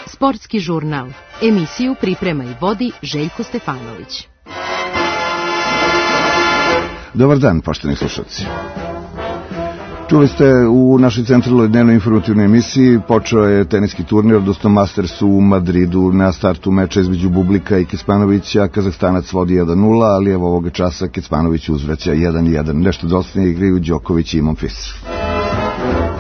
Sportski žurnal. Emisiju priprema i vodi Željko Stefanović. Dobar dan, poštovani slušalci. Čuli ste u našoj centralnoj dnevnoj informativnoj emisiji, počeo je teniski turnir, odnosno Masters u Madridu. Na startu meča između Bublika i Kecmanovića Kazahstanac vodi 1-0, ali evo ovoga časa Kecmanović uzvraća 1-1. Nešto doslovnije igraju Đoković i Monfils.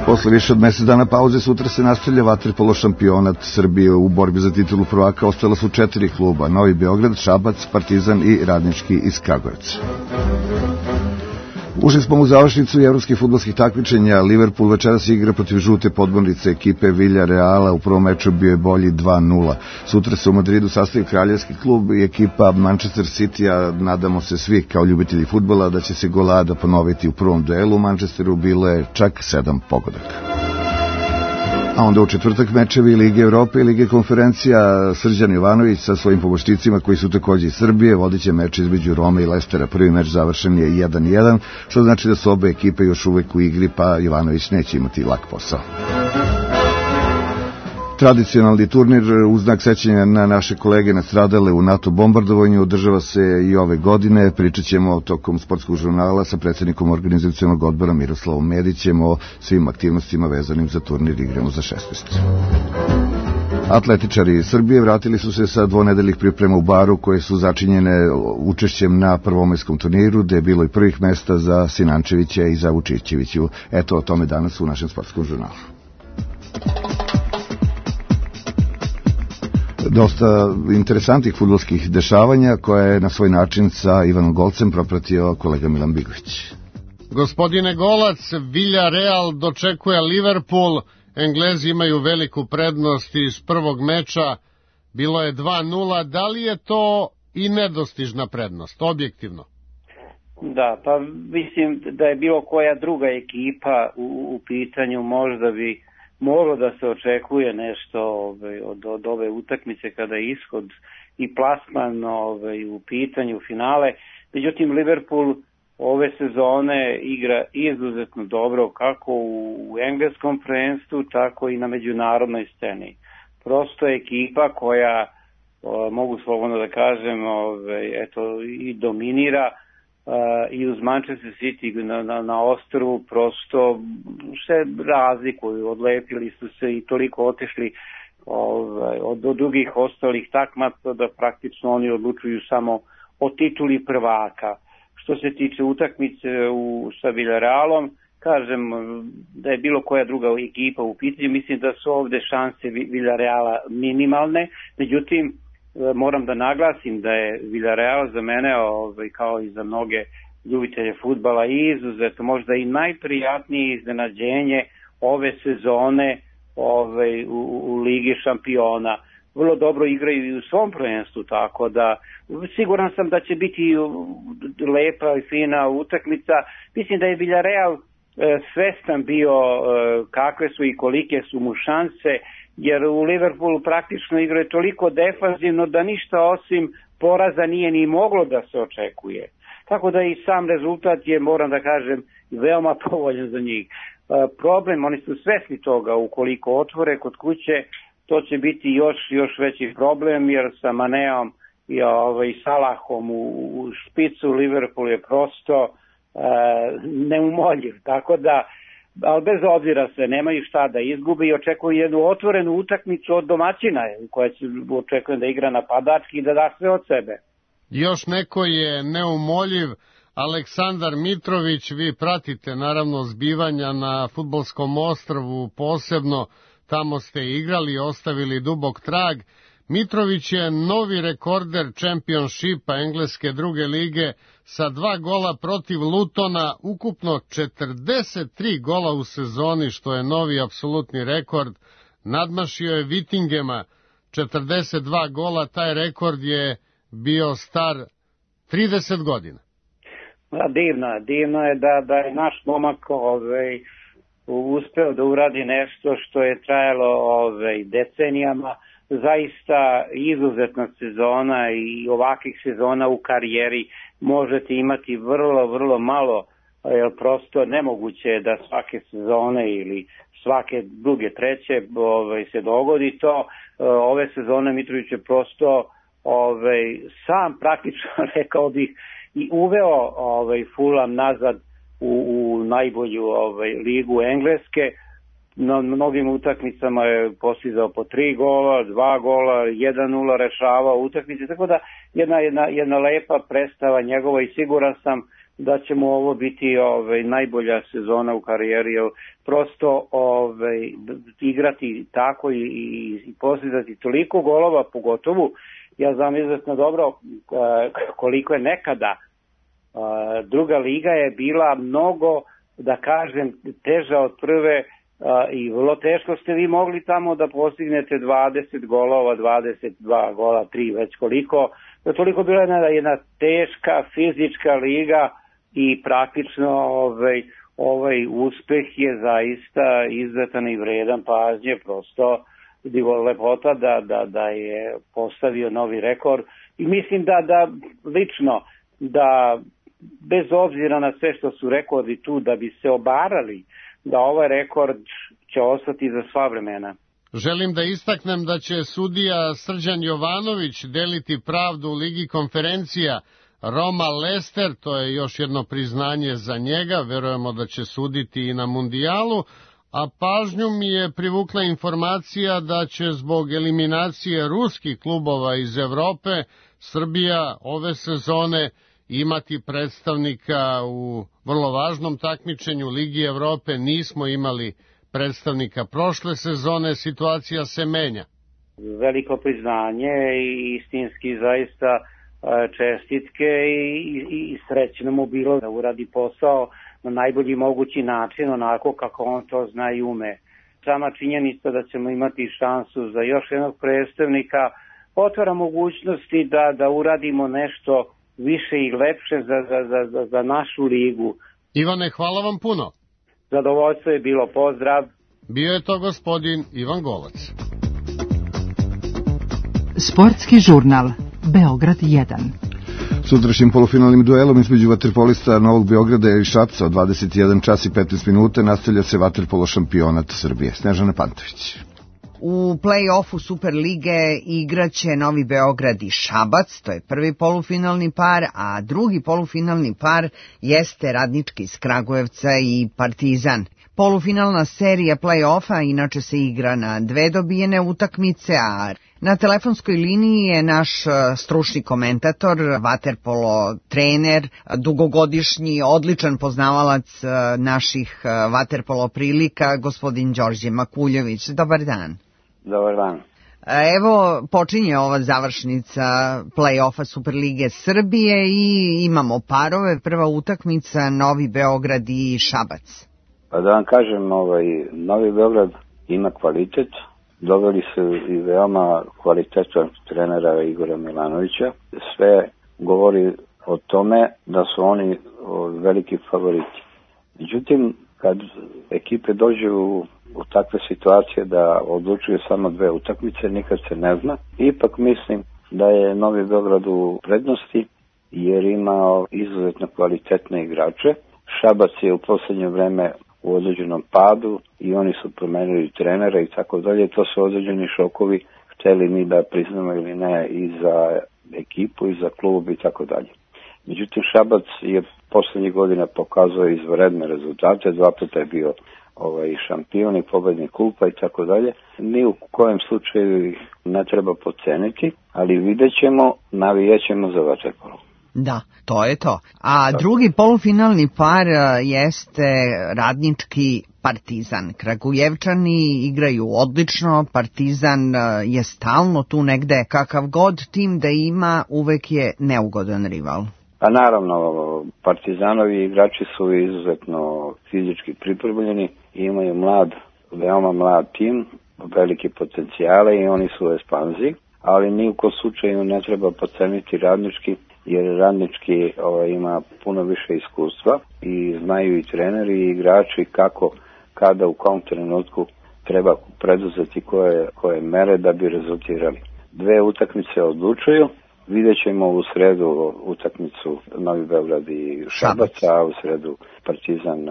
Posle više od mesec dana pauze sutra se nastavlja vaterpolo šampionat Srbije. U borbi za titulu prvaka ostala su 4 kluba: Novi Beograd, Šabac, Partizan i Radnički iz Kragujevca. Ušli smo u završnicu evropskih fudbalskih takmičenja. Liverpool večeras igra protiv žute podmornice ekipe Villareala. U prvom meču bio je bolji 2-0. Sutra se u Madridu sastavi kraljevski klub i ekipa Manchester City-a. Nadamo se svi kao ljubitelji fudbala da će se golada ponoviti u prvom duelu. U Manchesteru bilo je čak 7 pogodaka. A onda u četvrtak mečevi Lige Evrope i Lige konferencija. Srđan Jovanović sa svojim pomoćnicima koji su takođe iz Srbije vodit će meč između Rome i Lestera. Prvi meč završen je 1-1, što znači da su obe ekipe još uvek u igri, pa Jovanović neće imati lak posao. Tradicionalni turnir u znak sećanja na naše kolege nastradale u NATO bombardovanju održava se i ove godine. Pričat ćemo tokom sportskog žurnala sa predsjednikom organizacionog odbora Miroslavom Medićem o svim aktivnostima vezanim za turnir Igramo za 16. Atletičari Srbije vratili su se sa dvonedeljnih priprema u Baru, koje su začinjene učešćem na prvomajskom turniru, gde je bilo i prvih mesta za Sinančevića i za Vučićeviću. Eto o tome danas u našem sportskom žurnalu. Dosta interesantnih fudbalskih dešavanja koje je na svoj način sa Ivanom Golcem propratio kolega Milan Bigović. Gospodine Golac, Villarreal dočekuje Liverpool. Englezi imaju veliku prednost iz prvog meča. Bilo je 2-0. Da li je to i nedostižna prednost, objektivno? Da, pa mislim da je bilo koja druga ekipa u pitanju, možda bi moglo da se očekuje nešto od ove utakmice kada je ishod i plasman u pitanju finale. Međutim, Liverpool ove sezone igra izuzetno dobro kako u engleskom prvenstvu, tako i na međunarodnoj sceni. Prosto je ekipa koja, mogu slobodno da kažem, i dominira, i uz Manchester City na ostrvu prosto se razlikuju, odlepili su se i toliko otišli od drugih ostalih takmaca da praktično oni odlučuju samo o tituli prvaka. Što se tiče utakmice sa Villarrealom, kažem da je bilo koja druga ekipa u pitanju, mislim da su ovde šanse Villarreala minimalne, međutim moram da naglasim da je Villarreal za mene, kao i za mnoge ljubitelje fudbala, izuzetno možda i najprijatnije iznenađenje ove sezone u Ligi šampiona. Vrlo dobro igraju i u svom prvenstvu, tako da siguran sam da će biti lepa i fina utakmica. Mislim da je Villarreal svestan bio kakve su i kolike su mu šanse, jer u Liverpoolu praktično igra toliko defanzivno da ništa osim poraza nije ni moglo da se očekuje. Tako da i sam rezultat je, moram da kažem, veoma povoljan za njih. Problem, oni su svesni toga, ukoliko otvore kod kuće, to će biti još veći problem, jer sa Maneom i Salahom u špicu Liverpool je prosto neumoljiv. Tako da, ali bez obzira se, nemaju šta da izgube i očekuju jednu otvorenu utakmicu od domaćina, koja će očekujem da igra napadački i da da sve od sebe. Još neko je neumoljiv, Aleksandar Mitrović. Vi pratite naravno zbivanja na fudbalskom ostrvu, posebno tamo ste igrali, ostavili dubok trag. Mitrović je novi rekorder Championshipa engleske druge lige sa 2 gola protiv Lutona, ukupno 43 gola u sezoni, što je novi apsolutni rekord. Nadmašio je Vittingema 42 gola, taj rekord je bio star 30 godina. Divno je da je naš momak uspeo da uradi nešto što je trajalo decenijama. Zaista izuzetna sezona i ovakvih sezona u karijeri možete imati vrlo malo jer prosto nemoguće je da svake sezone ili svake druge, treće se dogodi to. Ove sezone Mitrović je prosto sam praktično, rekao bih, i uveo Fulham nazad u najbolju ligu Engleske. Na mnogim utakmicama je postizao po 3 gola, 2 gola, 1-0 rešavao utakmice, tako da jedna lepa predstava njegova i siguran sam da će mu ovo biti najbolja sezona u karijeri, jer prosto igrati tako i postizati toliko golova, pogotovo ja znam izuzetno dobro koliko je nekada druga liga je bila mnogo, da kažem, teža od prve i vrlo teško ste vi mogli tamo da postignete 20 golova, 22 gola, 3 već koliko. Toliko bila jedna teška fizička liga i praktično ovaj uspeh je zaista izuzetan i vredan pažnje, prosto lepota da je postavio novi rekord i mislim da lično da bez obzira na sve što su rekordi tu da bi se obarali da ovaj rekord će ostati za sva vremena. Želim da istaknem da će sudija Srđan Jovanović deliti pravdu u Ligi konferencija Roma Leicester, to je još jedno priznanje za njega, verujemo da će suditi i na mundijalu, a pažnju mi je privukla informacija da će zbog eliminacije ruskih klubova iz Evrope Srbija ove sezone imati predstavnika u vrlo važnom takmičenju Ligi Evrope. Nismo imali predstavnika prošle sezone, situacija se menja. Veliko priznanje i istinski zaista čestitke i srećno mu bilo da uradi posao na najbolji mogući način, onako kako on to zna i ume. Sama činjenica da ćemo imati šansu za još jednog predstavnika otvara mogućnosti da uradimo nešto više i lepše za našu ligu. Ivane, hvala vam puno. Zadovoljstvo je bilo, pozdrav. Bio je to gospodin Ivan Golac. Sportski žurnal Beograd 1. Sutrašnjim polufinalnim duelom između vaterpolista Novog Beograda i Šapca od 21 čas i 15 minuta nastavlja se vaterpolo šampionat Srbije. Snežana Pantović. U play-offu Superlige igraće Novi Beograd i Šabac, to je prvi polufinalni par, a drugi polufinalni par jeste Radnički iz Kragujevca i Partizan. Polufinalna serija play-offa inače se igra na 2 dobijene utakmice, a na telefonskoj liniji je naš stručni komentator, vaterpolo trener, dugogodišnji, odličan poznavalac naših vaterpolo prilika, gospodin Đorđe Makuljević. Dobar dan. Dobar dan. Evo, počinje ova završnica play-offa Superlige Srbije i imamo parove. Prva utakmica Novi Beograd i Šabac. Pa da vam kažem, Novi Beograd ima kvalitet. Doveli su i veoma kvalitetan trenera Igora Milanovića. Sve govori o tome da su oni veliki favoriti. Međutim, kad ekipe dođu u takve situacije da odlučuju samo 2 utakmice, nikad se ne zna. Ipak mislim da je Novi Beograd u prednosti jer ima izuzetno kvalitetne igrače. Šabac je u poslednje vreme u određenom padu i oni su promenili trenera i tako dalje. To su određeni šokovi, hteli mi da priznamo ili ne, i za ekipu i za klub i tako dalje. Međutim, Šabac je poslednjih godina pokazao izvanredne rezultate, 2 puta je bio šampion i pobednik kupa i tako dalje. Ni u kojem slučaju ne treba podceniti, ali vidjet ćemo, navijećemo za vaterpolo. Da, to je to. A drugi polufinalni par jeste Radnički Partizan. Kragujevčani igraju odlično, Partizan je stalno tu negde. Kakav god tim da ima, uvek je neugodan rival. Pa naravno, Partizanovi igrači su izuzetno fizički pripremljeni i imaju veoma mlad tim, velike potencijale i oni su u ekspanziji, ali ni u kom slučaju ne treba podceniti Radnički, jer Radnički ima puno više iskustva i znaju i treneri i igrači kada u kom trenutku treba preduzeti koje mere da bi rezultirali. 2 utakmice odlučuju Vidjet ćemo u sredu utakmicu Novi Beograd i Šabac, a u sredu Partizan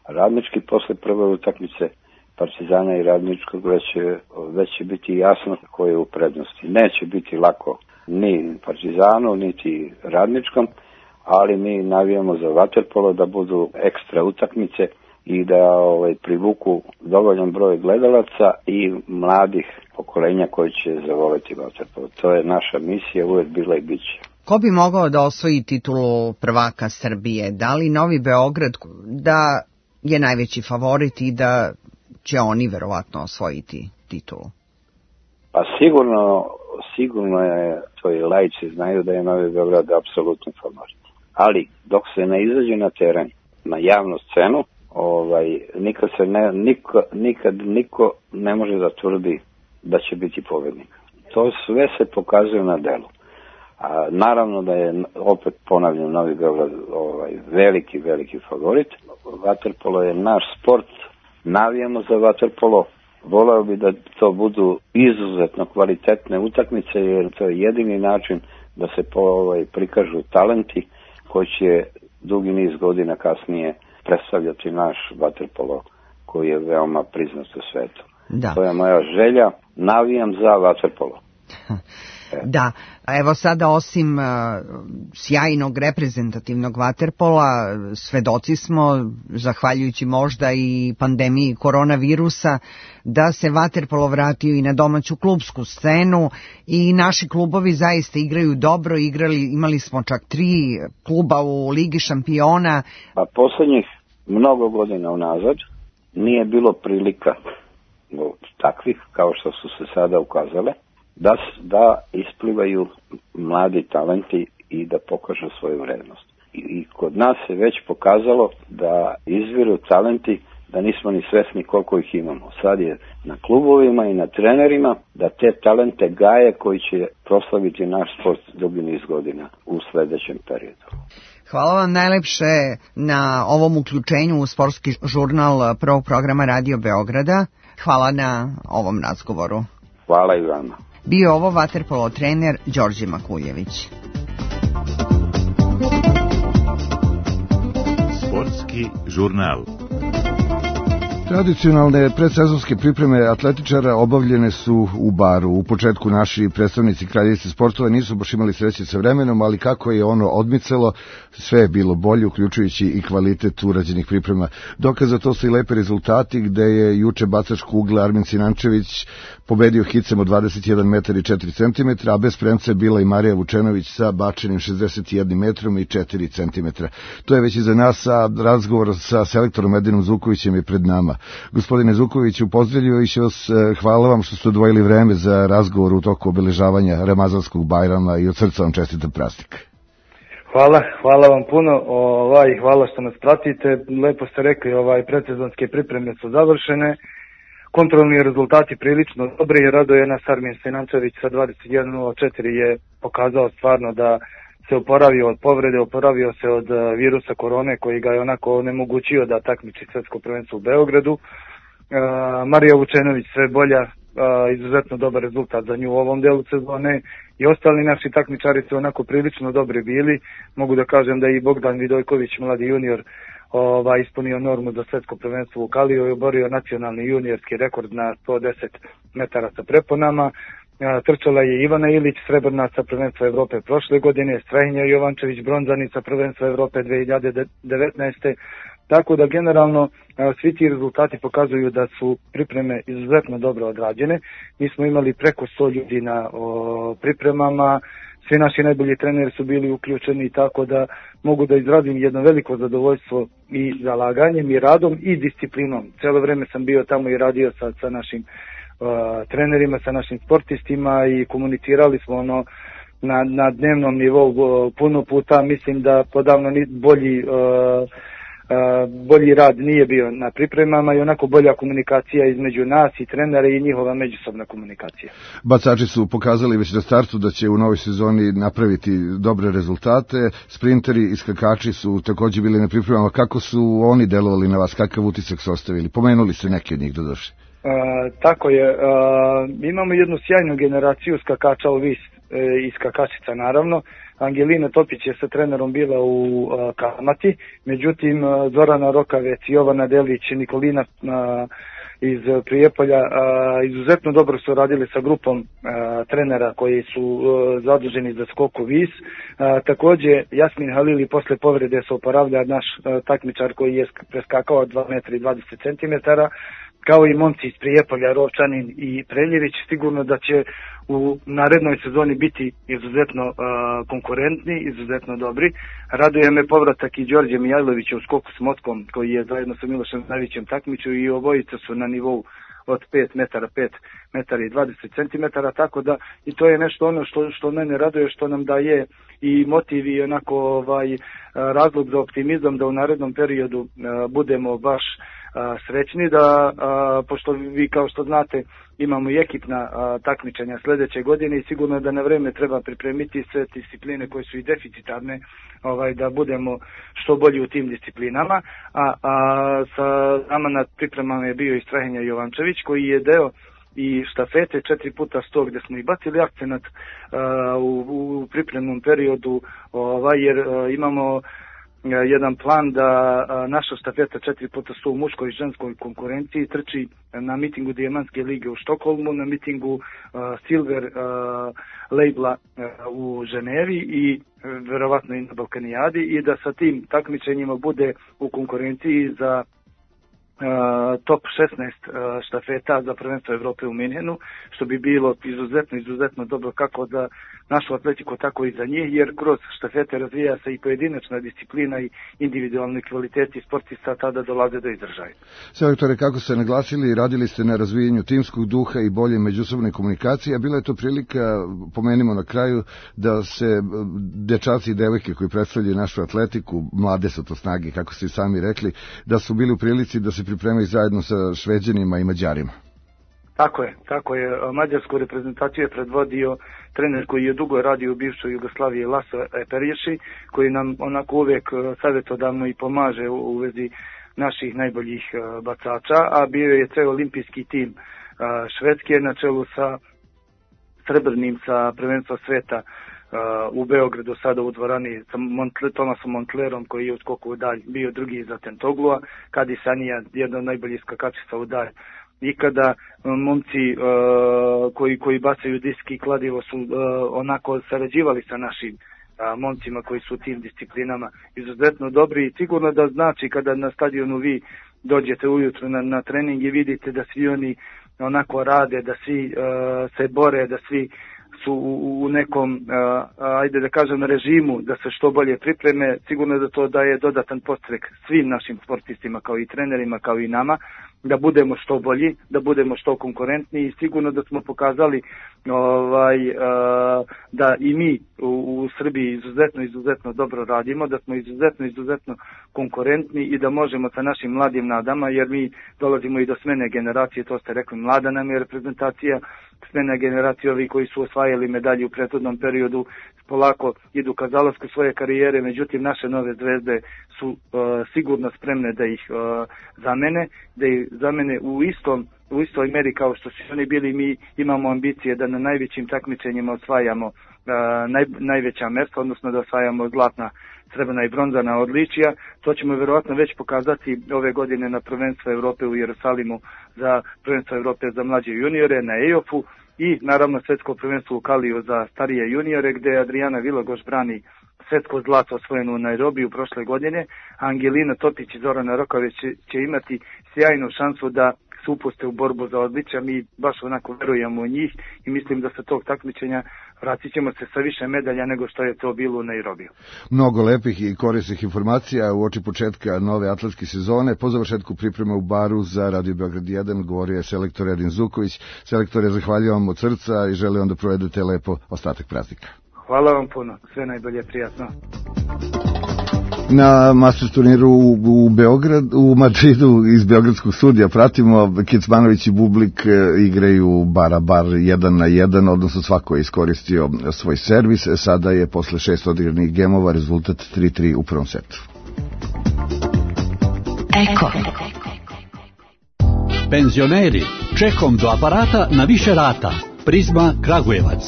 Radnički. Posle prve utakmice Partizana i Radničkog već će biti jasno ko je u prednosti. Neće biti lako ni Partizanu, niti Radničkom, ali mi navijamo za vaterpolo da budu ekstra utakmice i da privuku dovoljan broj gledalaca i mladih pokolenja koji će zavoleti vaterpolo. To je naša misija, uvek bila i bit će. Ko bi mogao da osvoji titulu prvaka Srbije? Da li Novi Beograd da je najveći favorit i da će oni verovatno osvojiti titulu? Pa sigurno je, to i laici znaju da je Novi Beograd apsolutni favorit. Ali dok se ne izađe na teren, na javnu scenu, nikad niko ne može da tvrdi da će biti pobednik. To sve se pokazuje na delu. A naravno da je, opet ponavljam, Novi Beograd veliki favorit. Vaterpolo je naš sport, navijamo za vaterpolo. Voleo bi da to budu izuzetno kvalitetne utakmice, jer to je jedini način da se prikažu talenti koji će dugi niz godina kasnije predstavljati naš vaterpolo koji je veoma priznat u svetu. Da. To je moja želja, navijam za vaterpolo. Da, evo sada osim sjajnog reprezentativnog vaterpola, svedoci smo, zahvaljujući možda i pandemiji koronavirusa, da se vaterpolo vratio i na domaću klubsku scenu i naši klubovi zaista igraju dobro, imali smo čak 3 kluba u Ligi šampiona. Pa poslednjih mnogo godina unazad nije bilo prilika takvih kao što su se sada ukazale, da isplivaju mladi talenti i da pokažu svoju vrednost. I kod nas se već pokazalo da izviru talenti, da nismo ni svesni koliko ih imamo. Sad je na klubovima i na trenerima da te talente gaje koji će proslaviti naš sport dugi niz godina u sledećem periodu. Hvala vam najlepše na ovom uključenju u sportski žurnal prvog programa Radio Beograda. Hvala na ovom razgovoru. Hvala i vama. Bio ovo vaterpolo trener Đorđe Makuljević. Sportski žurnal. Tradicionalne predsezonske pripreme atletičara obavljene su u Baru. U početku naši predstavnici kraljevice sportova nisu baš imali sreće sa vremenom, ali kako je ono odmicalo, sve je bilo bolje, uključujući i kvalitet urađenih priprema. Dokaz za to su i lepe rezultati, gde je juče bacač kugle Armin Sinančević pobedio hicem od 21 metar i 4 cm, a bez premca je bila i Marija Vučenović sa bačenim 61 metrom i 4 cm. To je već i za nas, a razgovor sa selektorom Edinom Zukovićem je pred nama. Gospodine Zukoviću, pozdravljaju i vas, hvala vam što ste odvojili vreme za razgovor u toku obeležavanja Ramazanskog Bajrama i od srca vam čestitam praznik. Hvala vam puno, hvala što nas pratite. Lepo ste rekli, predsezonske pripreme su završene, kontrolni rezultati prilično dobri i raduje nas Armin Sinančević sa 21.04 je pokazao stvarno da se oporavio od povrede, oporavio se od virusa korone koji ga je onako onemogućio da takmiči svetsko prvenstvo u Beogradu. Marija Vučenović sve bolja, izuzetno dobar rezultat za nju u ovom delu sezone i ostali naši takmičari su onako prilično dobri bili. Mogu da kažem da i Bogdan Vidojković, mladi junior, ispunio normu za svetsko prvenstvo u Kaliju i oborio nacionalni juniorski rekord na 110 metara sa preponama. Trčala je Ivana Ilić, srebrnaca prvenstva Evrope prošle godine, Strahinja Jovančević, bronzanica prvenstva Evrope 2019. Tako da generalno svi ti rezultati pokazuju da su pripreme izuzetno dobro odrađene. Mi smo imali preko 100 ljudi na pripremama, svi naši najbolji treneri su bili uključeni, tako da mogu da izrazim jedno veliko zadovoljstvo i zalaganjem i radom i disciplinom. Cijelo vreme sam bio tamo i radio sa našim trenerima, sa našim sportistima i komunicirali smo na dnevnom nivou puno puta. Mislim da podavno bolji rad nije bio na pripremama i onako bolja komunikacija između nas i trenera i njihova međusobna komunikacija. Bacači su pokazali već na startu da će u novoj sezoni napraviti dobre rezultate. Sprinteri i skakači su također bili na pripremama. Kako su oni delovali na vas? Kakav utisak su ostavili? Pomenuli ste neki od njih doduše. Tako je. Imamo jednu sjajnu generaciju skakača u vis i skakačica naravno. Angelina Topić je sa trenerom bila u Kalmati, međutim Zorana Rokavec, Jovana Delić, Nikolina iz Prijepolja izuzetno dobro su radili sa grupom trenera koji su zaduženi za skok u vis. Takođe Jasmin Halili posle povrede se oporavlja, naš takmičar koji je preskakao 2,20 m, kao i momci iz Prijepolja, Rovčanin i Preljević. Sigurno da će u narednoj sezoni biti izuzetno konkurentni, izuzetno dobri. Raduje me povratak i Đorđe Mijajlovića u skoku s motkom, koji je zajedno sa Milošem Znavićem takmičio, i obojica su na nivou od 5 metara, 5 metara i 20 centimetara, tako da i to je nešto ono što mene raduje, što nam daje i motiv i onako razlog za optimizam da u narednom periodu budemo baš srećni, da pošto vi kao što znate imamo i ekipna takmičenja sledeće godine i sigurno da na vreme treba pripremiti sve discipline koje su i deficitarne, da budemo što bolji u tim disciplinama, a sa nama na pripremama je bio i Strahinja Jovančević koji je deo i štafete 4x100 gde smo i bacili akcenat u pripremnom periodu, jer imamo jedan plan da naša štafeta 4x100 u muškoj i ženskoj konkurenciji trči na mitingu Dijamantske lige u Štokholmu, na mitingu Silver labela u Ženevi i verovatno i na Balkanijadi, i da sa tim takmičenjima bude u konkurenciji za top 16 štafeta za prvenstvo Evrope u Minhenu, što bi bilo izuzetno dobro kako za našu atletiku, tako i za njih, jer kroz štafete razvija se i pojedinačna disciplina i individualni kvaliteti sportista tada dolaze do izražaja. Selektore, kako ste naglasili, radili ste na razvijanju timskog duha i bolje međusobne komunikacije, a bila je to prilika, pomenimo na kraju, da se dečaci i devojke koji predstavljaju našu atletiku, mlade su to snage, kako ste sami rekli, da su bili u prilici da se pripremaju zajedno sa Šveđanima i Mađarima. Tako je. Mađarsku reprezentaciju je predvodio trener koji je dugo radio u bivšoj Jugoslaviji, Laso Eperješi, koji nam onako uvek savjetodavno i pomaže u vezi naših najboljih bacača, a bio je ceo olimpijski tim Švedske na čelu sa srebrnim sa prvenstva sveta u Beogradu, sada u dvorani sa Tomasom Montlerom koji je u skoku u dalj bio drugi za Tentoglua, Kadi Sanija, jedna od najboljih skakačica u dalj ikada. Momci koji bacaju diski i kladivo su onako sarađivali sa našim momcima koji su u tim disciplinama izuzetno dobri, i sigurno da znači kada na stadionu vi dođete ujutro na trening i vidite da svi oni onako rade, da svi se bore, da svi su u nekom, ajde da kažem, režimu da se što bolje pripreme, sigurno da to daje dodatan podstrek svim našim sportistima, kao i trenerima, kao i nama, da budemo što bolji, da budemo što konkurentniji, i sigurno da smo pokazali da i mi u Srbiji izuzetno dobro radimo, da smo izuzetno konkurentni i da možemo sa našim mladim nadama, jer mi dolazimo i do smene generacije, to ste rekli, mlada nam je reprezentacija, smena generacija, ovi koji su osvajali medalje u prethodnom periodu polako idu ka zalasku svoje karijere, međutim naše nove zvezde su sigurno spremne da ih zamene u istoj meri kao što su oni bili. Mi imamo ambicije da na najvećim takmičenjima osvajamo najveća mesta, odnosno da osvajamo zlatna, srebrna i bronzana odličija. To ćemo verovatno već pokazati ove godine na prvenstvo Evrope u Jerusalimu, za prvenstvo Evrope za mlađe juniore na EOF-u, i naravno svetsko prvenstvo u Kaliju za starije juniore, gde Adriana Vilogoš brani svetsko zlato osvojeno u Nairobiju prošle godine. Angelina Topić i Zorana Rokavec će imati sjajnu šansu da se upuste u borbu za odličja. Mi baš onako verujemo u njih i mislim da sa tog takmičenja vratit ćemo se sa više medalja nego što je to bilo u Nairobiju. Mnogo lepih i korisnih informacija u oči početka nove atletske sezone. Po završetku pripreme u Baru za Radio Beograd 1 govorio je selektor Edin Zuković. Selektore, zahvaljujem vam od srca i želim vam da provedete lepo ostatak praznika. Hvala vam puno, sve najbolje, prijatno. Na Masters turniru u Madridu iz beogradskog studija pratimo, Kecmanović i Bublik igraju bar 1-1, odnosno svako je iskoristio svoj servis. Sada je posle 6 odigranih gemova rezultat 3-3 u prvom setu. Eko. Penzioneri, čekom do aparata na više rata. Prizma Kragujevac.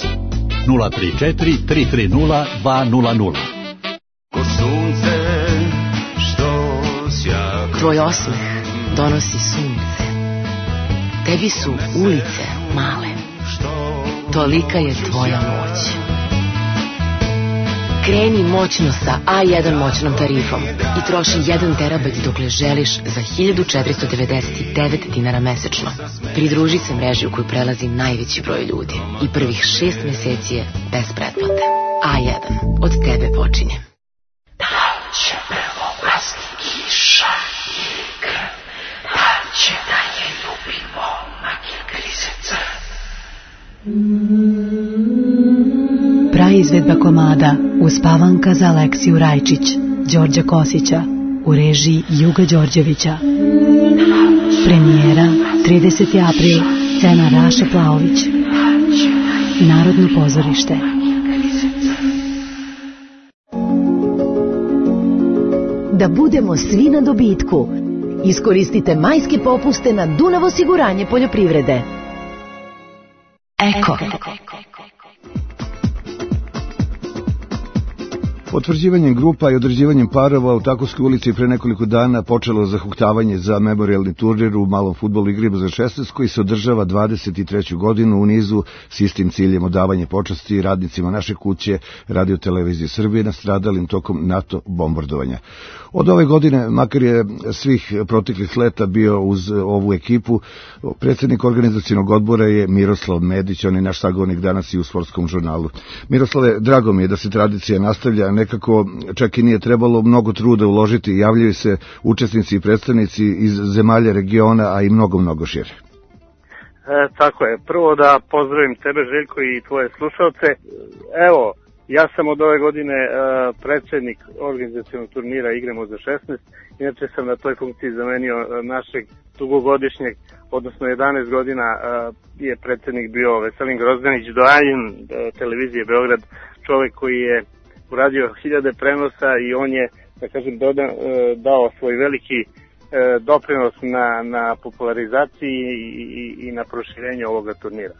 034 330 200. Ko sunce što sjaka. Tvoj osmeh donosi sunce. Tebi su ulice male. Tolika je tvoja moć. Kreni moćno sa A1 moćnom tarifom i troši 1 terabajt dokle želiš za 1499 dinara mesečno. Pridruži se mreži u koju prelazi najveći broj ljudi i prvih 6 meseci je bez pretplate. A1. Od tebe počinje. Da će prvo pasti kiša i krv, da će da je ljubi momak i grizeca. Praizvedba komada Uspavanka za Aleksiju Rajčić, Đorđa Kosića, u režiji Juga Đorđevića. Premijera 30. april, scena Raša Plaović. Narodno pozorište. Da budemo svi na dobitku. Iskoristite majske popuste na Dunav osiguranje poljoprivrede. Eko. Potvrđivanjem grupa i određivanjem parova u Takovskoj ulici pre nekoliko dana počelo zahuktavanje za memorijalni turnir u malom fudbalu Igre za 16 koji se održava 23. godinu u nizu s istim ciljem odavanje počasti radnicima naše kuće Radio Televizije Srbije nastradalim tokom NATO bombardovanja. Od ove godine, makar je svih proteklih leta bio uz ovu ekipu, predsjednik organizacionog odbora je Miroslav Medić, on je naš sagovornik danas i u Sportskom žurnalu. Miroslave, drago mi je da se tradicija nastavlja, nekako čak i nije trebalo mnogo truda uložiti, javljaju se učesnici i predstavnici iz zemalja regiona, a i mnogo šire. Tako je, prvo da pozdravim tebe Željko i tvoje slušalce. Evo, ja sam od ove godine predsjednik organizacionog turnira Igramo za 16, inače sam na toj funkciji zamenio našeg dugogodišnjeg, odnosno 11 godina je predsjednik bio Veselin Grozdanić, doajen televizije Beograd, čovjek koji je uradio 1000 prenosa i on je, da kažem, dao svoj veliki doprinos na popularizaciji i na proširenju ovoga turnira.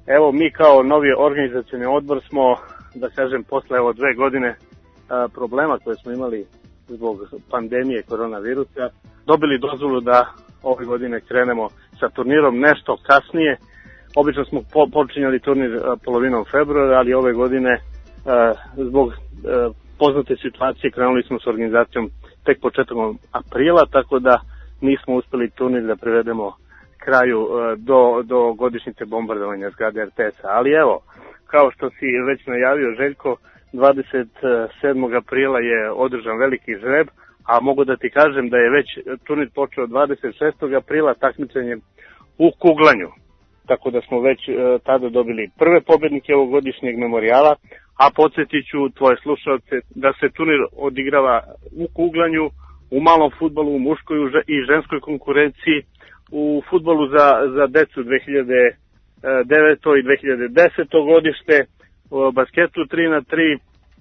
Evo, mi kao novi organizacioni odbor smo, da kažem, posle 2 godine problema koje smo imali zbog pandemije koronavirusa, dobili dozvolu da ove godine krenemo sa turnirom nešto kasnije. Obično smo počinjali turnir polovinom februara, ali ove godine zbog poznate situacije krenuli smo s organizacijom tek početkom aprila, tako da nismo uspeli turnir da privedemo kraju do godišnjice bombardovanja zgrade RTS-a. Ali evo, kao što si već najavio Željko, 27. aprila je održan veliki žreb, a mogu da ti kažem da je već turnir počeo 26. aprila takmičenjem u kuglanju. Tako da smo već tada dobili prve pobednike ovogodišnjeg memorijala, a podsjetit ću tvoje slušalce da se turnir odigrava u kuglanju, u malom fudbalu, u muškoj i ženskoj konkurenciji, u fudbalu za decu 2009. i 2010. godište, u basketu 3x3,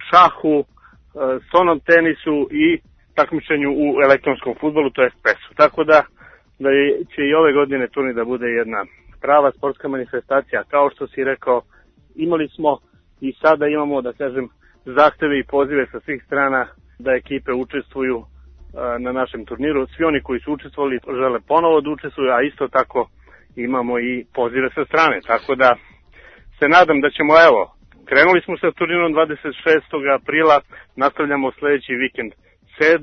šahu, stonom tenisu i takmičenju u elektronskom fudbalu, to je PES-u. Tako da će i ove godine turnir da bude jedna prava sportska manifestacija. Kao što si rekao, imali smo i sada imamo, da kažem, zahteve i pozive sa svih strana da ekipe učestvuju na našem turniru. Svi oni koji su učestvovali žele ponovo da učestvuju, a isto tako imamo i pozive sa strane. Tako da se nadam da ćemo, evo, krenuli smo sa turnirom 26. aprila, nastavljamo sljedeći vikend 7.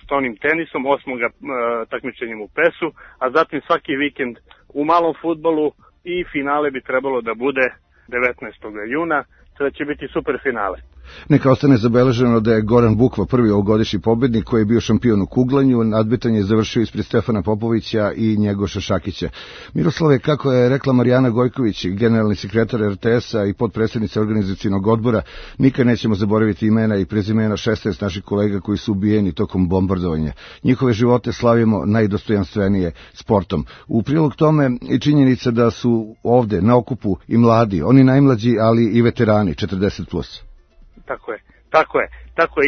s tonim tenisom, 8. takmičenjem u PES-u, a zatim svaki vikend u malom fudbalu i finale bi trebalo da bude 19. juna, sada će biti super finale. Neka ostane zabeleženo da je Goran Bukva prvi ovogodišnji pobednik koji je bio šampion u kuglanju, nadmetanje je završio ispred Stefana Popovića i Njegoša Šakića. Miroslave, kako je rekla Marijana Gojković, generalni sekretar RTS-a i potpredsjednica organizacionog odbora, nikad nećemo zaboraviti imena i prezimena 16 naših kolega koji su ubijeni tokom bombardovanja. Njihove živote slavimo najdostojanstvenije sportom. U prilog tome i činjenica da su ovde na okupu i mladi, oni najmlađi, ali i veterani 40+. Tako je.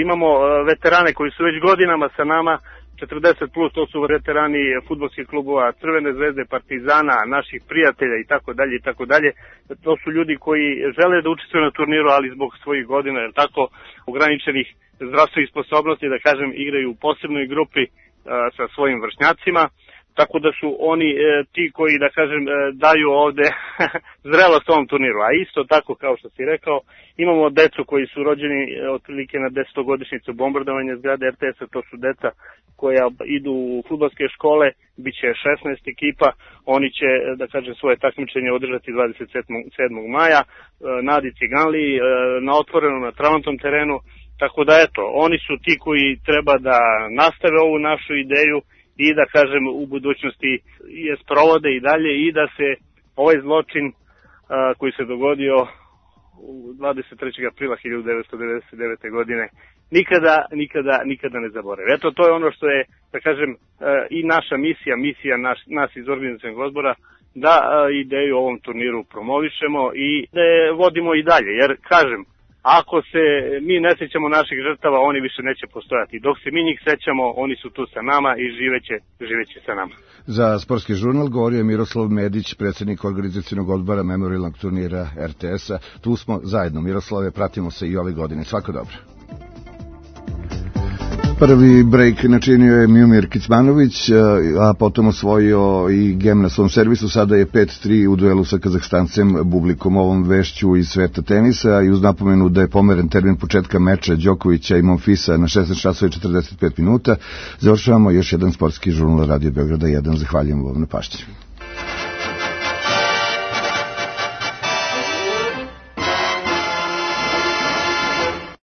Imamo veterane koji su već godinama sa nama, 40 plus, to su veterani fudbalskih klubova Crvene zvezde, Partizana, naših prijatelja i tako dalje i tako dalje. To su ljudi koji žele da učestvuju na turniru, ali zbog svojih godina, jer tako, ograničenih zdravstvenih sposobnosti, da kažem, igraju u posebnoj grupi sa svojim vršnjacima. Tako da su oni ti koji, da kažem, daju ovde zrelost ovom turniru. A isto tako, kao što si rekao, imamo decu koji su rođeni otprilike na 10-godišnjicu bombardovanja zgrade RTS-a, to su deca koja idu u fudbalske škole, bit će 16 ekipa, oni će, da kažem, svoje takmičenje održati 27. maja, Nadi Ciganli, na otvorenom, na travnatom terenu, tako da eto, oni su ti koji treba da nastave ovu našu ideju i da, kažem, u budućnosti je sprovode i dalje i da se ovaj zločin koji se dogodio 23. aprila 1999. godine nikada ne zaboravi. Eto, to je ono što je, da kažem, i naša misija nas iz organizacionog odbora, da ideju o ovom turniru promovišemo i da je vodimo i dalje, jer, kažem, ako se mi ne sećamo naših žrtava, oni više neće postojati. Dok se mi njih sećamo, oni su tu sa nama i živeće sa nama. Za Sportski žurnal govorio je Miroslav Medić, predsjednik organizacionog odbora memorialnog turnira RTS-a. Tu smo zajedno. Miroslave, pratimo se i ove godine. Svako dobro. Prvi break načinio je Miomir Kicmanović, a potom osvojio i gem na svom servisu. Sada je 5-3 u duelu sa Kazahstancem Bublikom. Ovom vešću iz sveta tenisa i uz napomenu da je pomeren termin početka meča Đokovića i Monfisa na 16 časova i 45 minuta. Završavamo još jedan sportski žurnal Radio Beograda 1. Zahvaljujem vam na pažnji.